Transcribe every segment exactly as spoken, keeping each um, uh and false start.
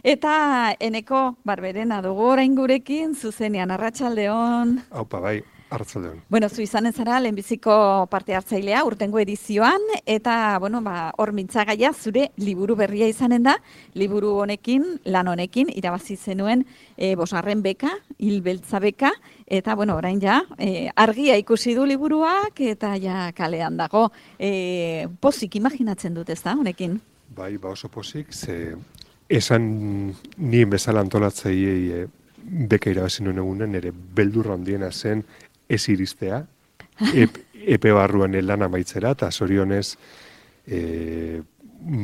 Eta Eneko Barberena dugu orain gurekin, zuzenean, arratsaldeon. Haupa, bai, arratsaldeon. Bueno, zu izanen zara lehenbiziko parte hartzailea urtengo edizioan, eta, bueno, ba, hor mintzagaia zure liburu berria izanen da, liburu honekin, lan honekin, irabazi zenuen e, bosgarren beka, hilbeltza beka, eta, bueno, orain ja, e, argia ikusi du liburuak, eta ja kalean dago. E, pozik imaginatzen dut, ez da, honekin? Bai, ba oso pozik, ze esan nien bezala antolatzaiei e, beka irabazi nuen egunen, ere beldurra handiena zen ez iristea, ep, epe barruan lan amaitzera, eta zorionez e,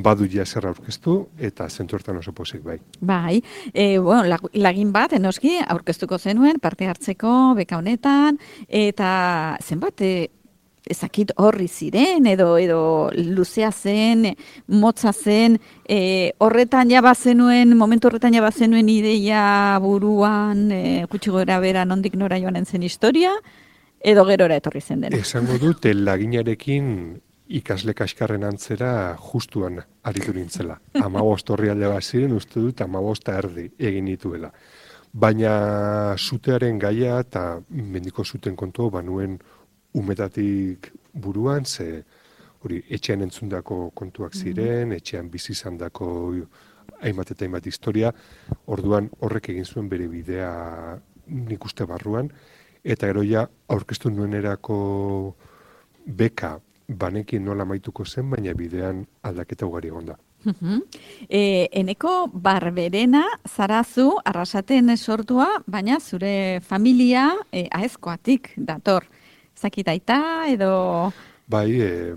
badu ja zer aurkeztu, eta zentu hortan oso pozik bai. Bai, e, bueno, lagin bat, enoski, aurkeztuko zenuen, parte hartzeko, beka honetan, eta zenbat, e, ezakit horri ziren, edo edo luzea zen, motza zen, e, horretan ja bazenuen, momentu horretan ja bazenuen ideia buruan, e, gutxi gora bera nondik nora joanen zen historia, edo gerora etorri zen dena. Esango dut, laginarekin ikasle kaskarren antzera justuan aritu nintzela. Hamabost horri alde bat ziren, uste dut hamabosta erdi egin nituela. Baina zutearen gaia eta mendiko zuten kontu banuen umetatik buruan, ze hori etxean entzundako kontuak ziren, mm-hmm. etxean bizi izandako hainbat eta hainbat historia, orduan horrek egin zuen bere bidea nik uste barruan, eta gero ja aurkeztu nuenerako beka banekin nola maituko zen, baina bidean aldaketa ugari egon da. Uh-huh. E, Eneko Barberena zarazu Arrasaten sortua, baina zure familia e, aezkoatik dator. Zakitaita edo... Bai, e,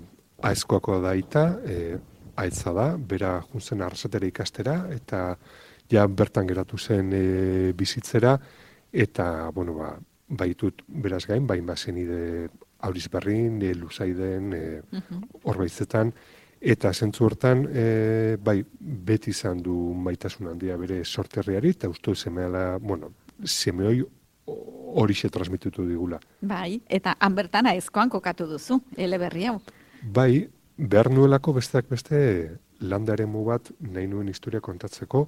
aezkoako daita, e, aitza da, bera juntzen Arrasatera ikastera, eta ja bertan geratu zen e, bizitzera, eta, bueno, ba, baitut beraz gain, bain bazen ide Aurizberrin, e, Luzaiden, e, uh-huh. Orbaitzetan, eta zentzu hortan, e, bai, beti izan du maitasun handia bere sorterriari, eta uste semeala, bueno, semeoi horixe transmititu digula. Bai, eta han bertan aezkoan kokatu duzu, eleberri hau. Bai, behar nuelako besteak beste landaremu bat nahi nuen historia kontatzeko,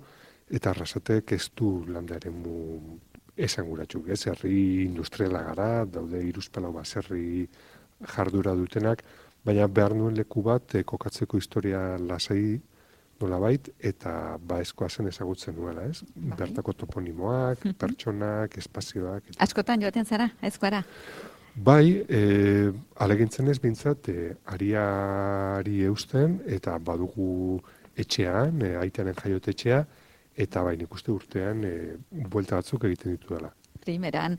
eta Arrasatek ez du landaremu esanguratsuk, ez, herri industriala gara, daude hiruzpalau baserri jardura dutenak, baina behar nuen leku bat eh, kokatzeko historia lasai nolabait, eta baezkoa zen ezagutzen nuela, ez? Bai. Bertako toponimoak, mm-hmm. pertsonak, espazioak. Eta... Askotan joaten zara, aezkoara? Bai, e, alegintzen ez bintzat, e, ariari eusten, eta badugu etxean, e, aitaren jaiotetxea, eta bai nik uste urtean e, buelta batzuk egiten ditu dela. Primeran.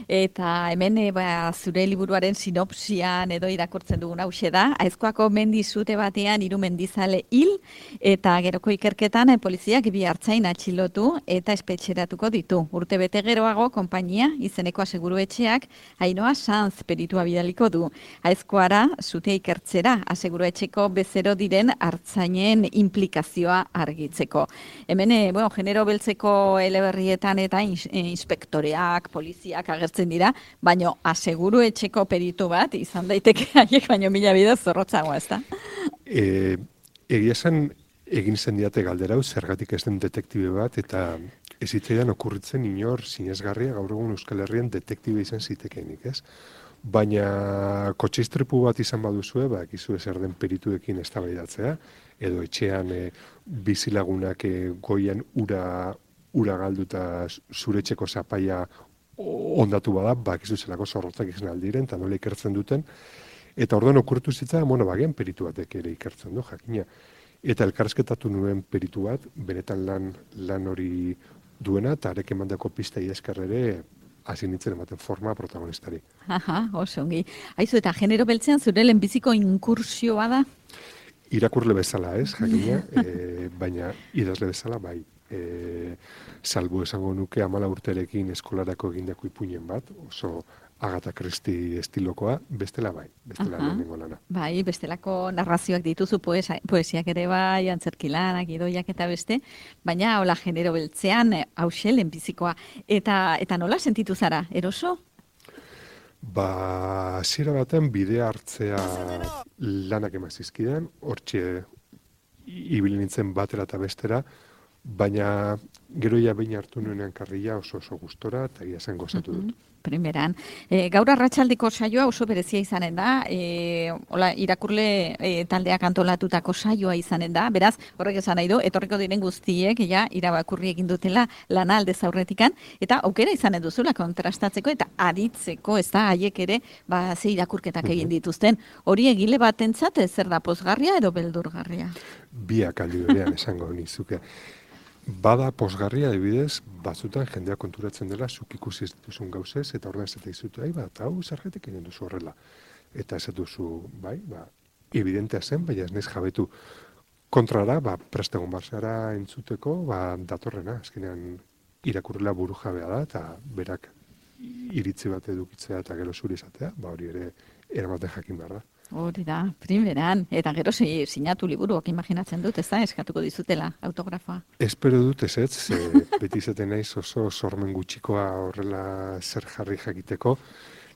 Eta hemen e, ba, zure liburuaren sinopsian edo irakurtzen dugun hause da, aezkoako mendi zute batean hiru mendizale hil, eta geroko ikerketan e, poliziak bi hartzain atxilotu eta espetxeratuko ditu. Urte bete geroago, konpainia, izeneko aseguruetxeak, Ainhoa Sanz peritua bidaliko du. Aezkoara, zute ikertzera, aseguruetxeko bezero diren hartzainen implikazioa argitzeko. Hemen, e, bueno, genero beltzeko eleberrietan eta ins, e, inspektoreak, poliziak agertzen dira, baino aseguru etxeko peritu bat izan daiteke haiek baino mila bidez zorrotzagoa, ezta? E, egia zen egin zen diate galderau zergatik ez den detektibe bat, eta ez zitzaidan okurritzen inor sinesgarria gaur egun Euskal Herrian detektibe izan zitekeenik, ez? Baina kotxe istripu bat izan baduzue, ba, ekizu zer den perituekin eztabaidatzea, edo etxean e, bizilagunak e, goian ura ura galduta zure etxeko zapaia ondatu bada, bakizu zelako zorrotzak izan aldiren, eta nola ikertzen duten. Eta orduan okurtu zitzaidan, bueno, bagian peritu batek ere ikertzen du, jakina. Eta elkarrizketatu nuen peritu bat, benetan lan, lan hori duena, eta arek emandako pista idazkar ere hasi nintzen ematen forma protagonistari. Aha, oso ongi. Aizu, eta genero beltzean zure lehenbiziko inkursioa da? Irakurle bezala, ez, jakina, e, baina idazle bezala, bai. E, salbu esango nuke amala urterekin eskolarako egindako ipuinen bat, oso Agatha Christie estilokoa, bestela bai, bestela lehenengo lana. Bai, bestelako narrazioak dituzu poesia, poesiak ere bai, antzerkilanak, idoiak eta beste, baina hola genero beltzean hause lehenbizikoa. Eta, eta nola sentitu zara, eroso? Ba, hasiera baten bidea hartzea lanak emazizkidan, hortxe ibili nintzen batera eta bestera, baina gero ja behin hartu nuenean karrila oso oso gustora, eta egia zen gozatu dut. Mhm. Primeran. E, gaur arratsaldiko saioa oso berezia izanen da, e, hola, irakurle e, taldeak antolatutako saioa izanen da, beraz, horrek esan nahi du, etorriko diren guztiek, ja, irabakurri egin dutela lana aldez aurretikan, eta aukera izanen duzula kontrastatzeko eta aditzeko, ez da, haiek ere, ba, ze irakurketak egin dituzten. Hori egile batentzat zer da, pozgarria edo beldurgarria? Biak aldi berean esango nizuke. Bada posgarria, adibidez, batzutan jendea konturatzen dela, zuk ikusi ez dituzun gauzez, eta orduan ez dut, ai, bat, hau zergatik egin duzu horrela. Eta ez duzu, bai, ba, evidentea zen, baina ez naiz jabetu kontrara, ba, prestegon barzara entzuteko, ba, datorrena, azkenean irakurrela buru jabea da, eta berak iritzi bat edukitzea eta gero zuri izatea, ba, hori ere eramaten jakin behar da. Hori da, primeran, eta gero si, sinatu liburuak imaginatzen dut, ez da, eskatuko dizutela autografoa. Espero dut ez ez, e, beti izaten naiz oso sormen gutxikoa horrela zer jarri jakiteko.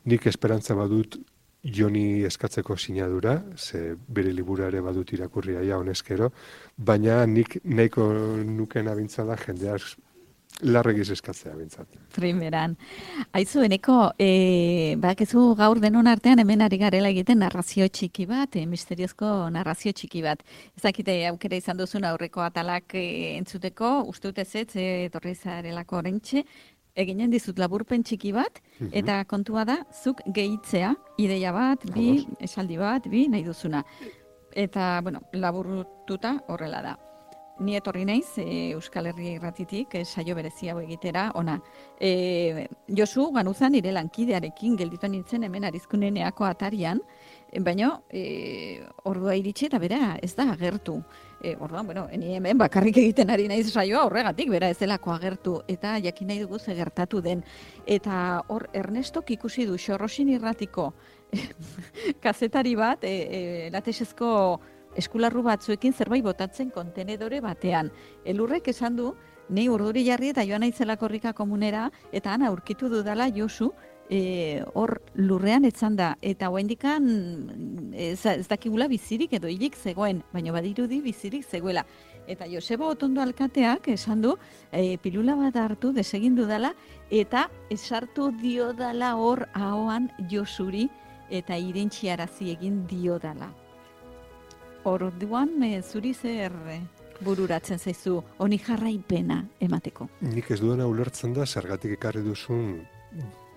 Nik esperantza badut Joni eskatzeko sinadura, ze bere libura ere badut irakurria ja honezkero, baina nik nahiko nuken abintzala jendeaz larregiz eskatzea bintzat. Primeran. Aizu, eneko, e, badakizu gaur denon artean hemen ari garela egiten narrazio txiki bat, e, misteriozko narrazio txiki bat. Ezakite aukera izan duzun aurreko atalak e, entzuteko, uste dut ez ez, e, etorri zarelako orentxe, eginen dizut laburpen txiki bat, eta kontua da, zuk gehitzea, ideia bat, bi, esaldi bat, bi, nahi duzuna. Eta, bueno, laburtuta horrela da. Ni etorri naiz e, Euskal Herria Irratitik e, saio berezia hau egitera, ona. E, Josu Ganuzan nire lankidearekin gelditu nintzen hemen Arizkuneneako atarian, e, baina e, ordua iritsi eta bera ez da agertu. E, orduan, bueno, ni hemen bakarrik egiten ari naiz saioa horregatik, bera ez delako agertu, eta jakin nahi dugu ze gertatu den. Eta hor Ernestok ikusi du Xorrosin Irratiko kazetari bat, e, e, latexezko eskularru batzuekin zerbait botatzen kontenedore batean. Elurrek esan du, ni urduri jarri eta joan naizela korrika komunera, eta han aurkitu dudala Josu, e, hor lurrean etzan da, eta oraindikan ez, ez dakigula bizirik edo hilik zegoen, baina badirudi bizirik zegoela. Eta Joseba Otondo alkateak esan du, e, pilula bat hartu desegin dudala, eta esartu diodala hor ahoan Josuri, eta irentxiarazi egin diodala. Orduan, e, zuri zer bururatzen zaizu, honi jarraipena emateko? Nik ez duena ulertzen da, zergatik ekarri duzun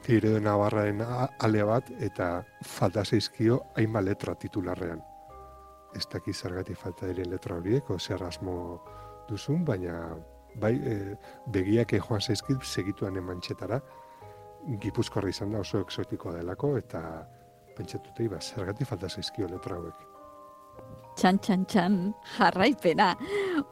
Tireo Navarraren ale bat, eta falta zaizkio hainbat letra titularrean. Ez daki zergatik falta diren letra horiek, o zer asmo duzun, baina bai, e, begiak joan zaizkit segituan emantxetara, Gipuzkoarra izan da oso exotikoa delako, eta pentsatutei, ba, zergatik falta zaizkio letra hauek. Txan, txan, txan, jarraipena.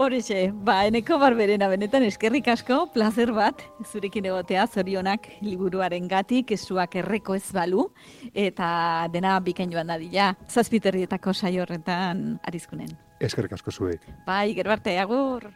Horixe, ba, Eneko Barberena, benetan eskerrik asko, plazer bat, zurekin egotea, zorionak liburuaren gatik, esuak erreko ez balu, eta dena bikain joan dadila, zazpiterrietako saio horretan Arizkunen. Eskerrik asko zuek. Bai, gero arte, agur!